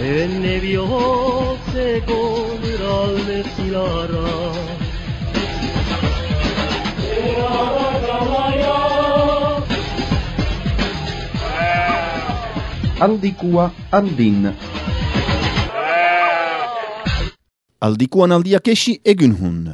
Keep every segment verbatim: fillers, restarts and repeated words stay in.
Enne bihotzeko niralde zilarra Aldikua andin. Aldikuan aldiak esi egun hun.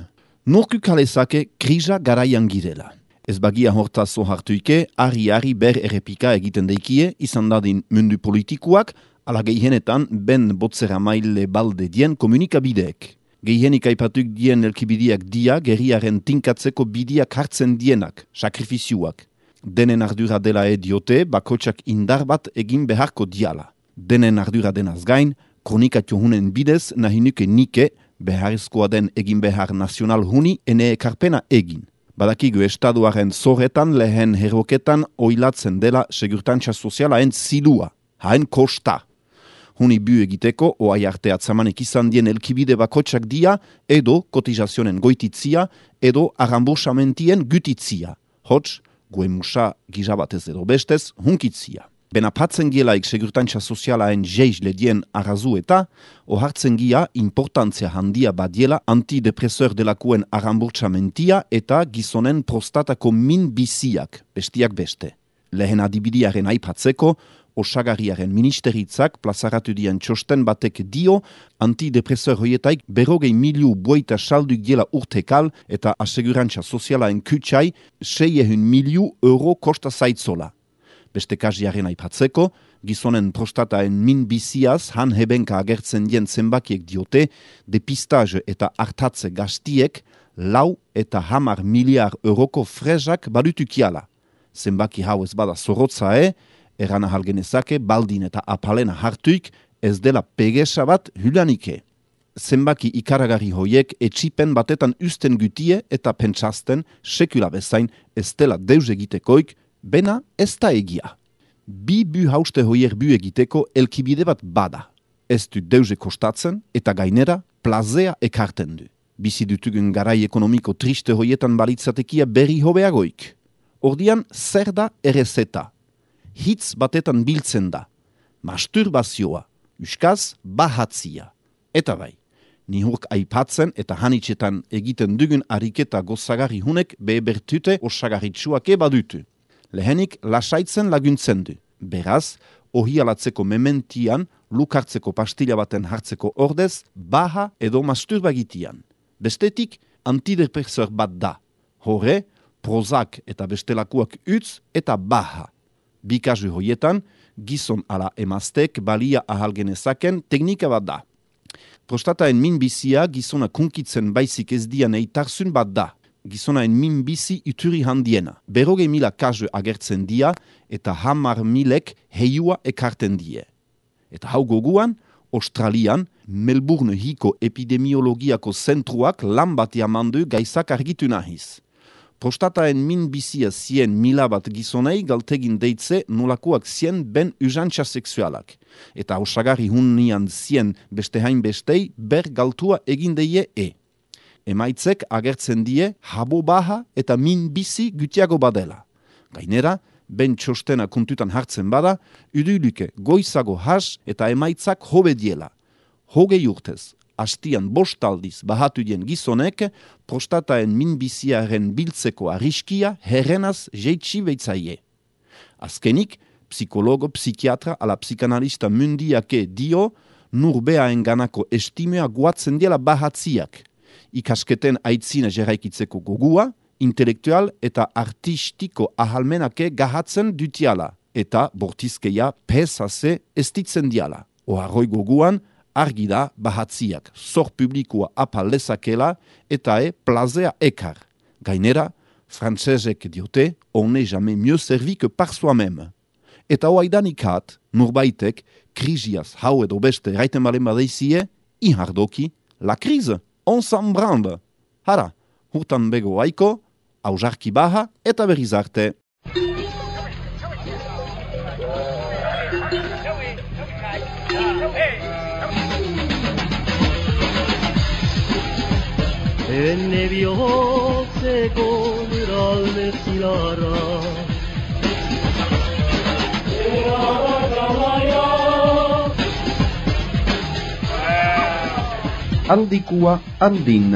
Norku kalezake krisa garaian girela. Ez bagia hortaz ohartuike, ari-ari ber errepika egiten deikie, izan dadin mundu politikuak, ala gehienetan ben botzera maile balde dien komunikabideek. Gehienik aipatuk dien elkibidiak dia, gerriaren tinkatzeko bidiak hartzen dienak, sakrifizioak. Denen ardura dela ediote, bakotsak indar bat egin beharko diala. Denen ardura denaz gain, kronikatio hunen bidez nahinuke nike, beharrezkoa den egin behar nazional huni ene ekarpena egin. Badakigu estaduaren zorretan lehen herroketan oilatzen dela segurtantza sozialaen zilua, haen kosta. Huni bu egiteko oai arte atzamanek izan dien elkibide bakotsak dia, edo kotizazionen goititzia, edo arrambursamentien gutitzia. Hots, goemusa gizabatez edo bestez, hunkitzia. Bena patzen gielaik segurtantza sozialaen jeiz ledien arrazu eta, ohartzen gia importantzia handia badiela antidepresor delakuen arramburtsamentia eta gizonen prostatako min biziak, bestiak beste. Lehen adibidiaren aipatzeko, osagarriaren ministeritzak plazaratu dien txosten batek dio antidepresor hoietaik berrogei miliu bueita salduk diela urtekal eta asegurantza sozialaen kutsai seiehun miliu euro kosta zaitzola. Beste kaziaren aipatzeko, gizonen prostataen min biziaz han hebenka agertzen dien zenbakiek diote, depistage eta hartatze gaztiek lau eta hamar miliar euroko frezak badutukiala. Zenbaki hau ez bada zorotzae, eran ahal genezake baldin eta apalena hartuik ez dela pegesa bat hulanike. Zenbaki ikaragarri hoiek etxipen batetan usten gutie eta pentsazten sekula bezain ez dela deus egitekoik, bena ez da egia. Bi bu hauste hoier bu egiteko elkibide bat bada. Ez du deuze kostatzen eta gainera plazea ekarten du. Bizi dutugun garai ekonomiko triste hoietan balitzatekia berri hobeagoik. Ordian zer da errezeta? Hitz batetan biltzen da. Masturbazioa, uskaz bahatzia. Eta bai, nihurk aipatzen eta hanitxetan egiten dugun ariketa gozagarri hunek bebertute osagarritsuak ebadutu. Lehenik lasaitzen laguntzen du. Beraz, ohialatzeko mementian, lukartzeko pastila baten hartzeko ordez, baha edo masturbagitian. Bestetik, antidepresor bat da. Hore, Prozac eta bestelakuak utz eta baha. Bikazu hoietan, gizon ala emaztek balia ahal genezaken teknika bat da. Prostataen minbizia gizona kunkitzen baizik ez dian eitarzun bat da. Gizonaen minbizi uturi handiena. Berroge mila kazu agertzen dia eta hamar milek heiua ekarten die. Eta hau goguan, Australian, Melbourne hiko epidemiologiako zentruak lan bat jamandu gaizak argitu nahiz. Prostataen minbizia zien mila bat gizonei galtegin deitze nolakoak zien ben usantza seksualak. Eta osagarri hunnian zien beste hain bestei ber galtua egin deie e. Emaitzek agertzen die habo baha eta minbizi gutiago badela. Gainera, ben txostena kontutan hartzen bada, uduluke goizago has eta emaitzak hobe diela. Hogei urtez, hastian bostaldiz bahatu dien gizonek, prostataen minbiziaren biltzeko arriskia herrenaz jeitsi beitzaie. Azkenik, psikologo, psikiatra ala psikanalista mundiake dio, nurbeaen ganako estimea guatzen diela bahatziak. Ikasketen aitzina jeraikitzeko gogua, intelektual eta artistiko ahalmenake gahatzen dutiala, eta bortizkeia pesase estitzen diala. Oharroi goguan, argi da bahatziak zor publikoa apal lezakela eta e plazea ekar. Gainera, frantzesek diote, on n'est jamais mieux servi que par soi-même. Eta oaidanikat, nurbaitek, krisiaz hau edo beste raiten balen badeizie, ihardoki, la krize, on s'en branle. Hara, hurtan bego aiko, hausarki baha eta berriz arte. enne bihotzeko nuralde zilarra. Aldikua andin.